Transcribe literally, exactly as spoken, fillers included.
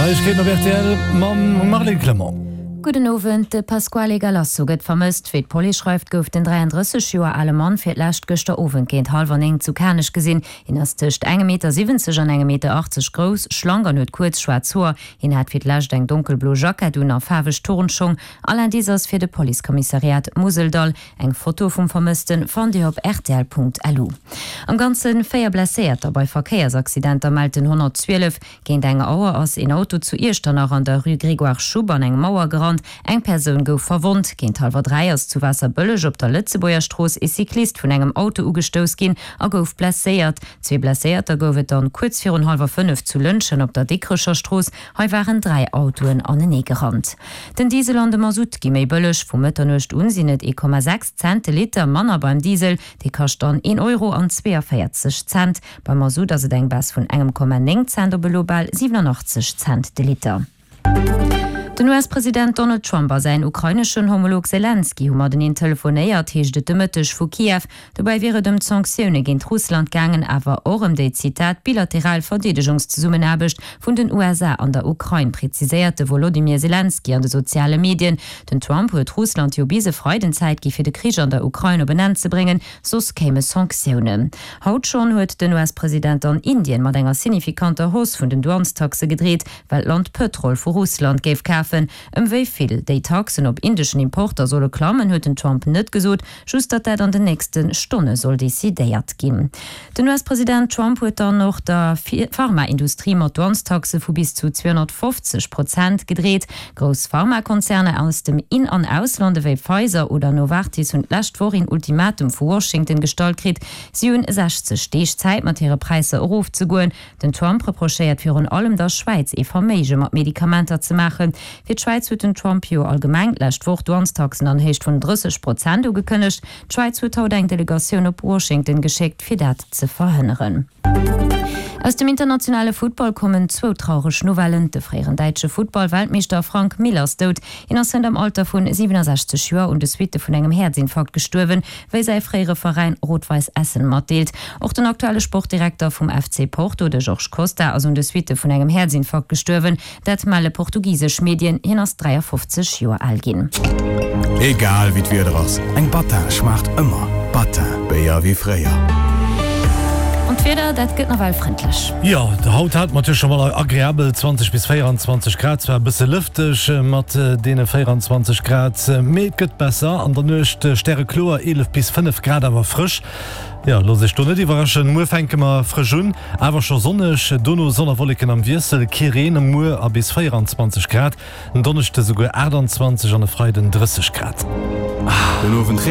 Neiegkeeten op rtl mam Marlène Clement. Gudden Owend, De Pasquale Galasso gëtt vermësst. Wéi d'Police schreift, gouf den dräiandrësseg Joer ale Mann fir d'lescht gëschter Owend géint hallwer néng zu Kanech gesinn. Hien ass tëscht engem Meter siwwenzeg an engem Meter achtzeg grouss, schlank an huet kuerz schwaarz Hoer. Hien hat fir d'lescht eng donkelblo Jackett un a faarweg Turnschong. All Indice ass fir de Policekommissariat Museldall. Eng Foto vum Vermëssten fannt Dir op rtl.lu. Am Ganze véier Blesséierter bei Verkéiersaccidenter mellt den honnertzwielef. Géint eng Auer ass een Auto zu Iechternach an der Rue Grégoire Schupp an eng Mauer gerannt. Eng Persoun gouf verwonnt. Géint hallwer dräi ass zu Waasserbëlleg op der Lëtzebuerger Strooss ee Cyclist vun engem Auto ugestouss ginn a gouf blesséiert. Zwee Blesséierter gouf et dann kuerz virun hallwer fënnef zu Lëntgen op der Dikrecher Strooss. Hei waren dräi Autoen anenee gerannt. Den Diesel an de Masutt gi méi bëlleg. Vu Mëtternuecht un sinn et ee Komma sechs Cent de Liter manner beim Diesel, dee kascht dann een Euro an zweeënvéierzeg Cent. Beim Masutt ass et eng Baisse vun engem Komma néng Cent op elo bal siwenanachtzeg Cent de Liter. Den U S-President Donald Trump a säin ukraineschen Homolog Selenskyj hu mateneen telefonéiert, heescht et de Mëtteg vu Kiew. Dobäi wier et ëm d'Sanktioune géint Russland gaangen, awer och ëm déi, Zitat, bilateral Verdeedegungszesummenaarbecht vun den U S A an der Ukrain, preziséiert de Wolodymyr Selenskyj an de soziale Medien. Den Trump huet Russland jo bis e Freiden Zäit gi fir de Krich an der Ukrain op en Enn ze bréngen, soss kéime Sanktiounen. Haut schonn huet den U S-President an Indien mat enger signifikanter Hausse vun den Douanestaxe gedreet, well d'Land Pëtrol vu Russland géif kafen. Ëm wéi vill déi Taxen op indeschen Importer solle klammen, huet den Trump net gesot, just datt dat an den nächste Stonne soll decidéiert ginn. Den U S-President Trump huet dann och der Pharmaindustrie mat Douanestaxe vu bis zu zweehonnertfofzeg Prozent gedreet. Grouss Pharmakonzerner aus dem In an Ausland ewéi Pfizer oder Novartis hunn d'lescht Woch een Ultimatum vu Washington gestallt kritt. Si hunn sechzeg Deeg Zäit mat hire Präisser erofzegoen. Den Trump reprochéiert virun allem der Schwäiz ee Verméige mat Medikamenter ze maachen. Fir d'Schwäiz huet den Trump jo allgemeng d'lescht Woch Douanestaxen an Héicht vun drësseg Prozent ugekënnegt. D'Schwäiz huet haut eng Delegatioun op Washington geschéckt, fir dat ze verhënneren. Aus dem internationale Futtball kommen zwou traureg Nouvellen, De fréieren däitsche Futtball-Weltmeeschter Frank Mill ass dout. Hien ass hënt am Alter vun siwenasechzeg Joer un de Suitte vun engem Häerzinfarkt gestuerwen, wéi säi fréiere Veräin Rot-Weiss Essen matdeelt. Och den aktuelle Sportdirekter vum F C Porto, de Jorge Costa, ass un de Suitte vun engem Häerzinfarkt gestuerwen. Dat melle portugisesch Medien. Hien ass dräiafofzeg Joer al ginn. Egal wéi d'Wieder ass, eng Battin schmaacht ëmmer. Battin, Béier wéi fréier. An d'Wieder, dat gëtt nawell frëndlech. Jo, haut hate mer natierlech scho mol agreabel zwanzeg bis véieranzwanzeg Grad, zwar e bësse lëfteg mat deene véieranzwanzeg Grad, mee et gëtt besser. An der Nuecht stärekloer, eelef bis fënnef Grad, awer frësch. Jo, loosst iech do net iwwerraschen, muer fänke mer frësch un, awer scho sonneg, dono Sonn a Wolleken am Wiessel, kee Reen muer a bis véieranzwanzeg Grad, en Donneschde souguer aachtanzwanzeg an e Freiden drësseg Grad. Den Owend.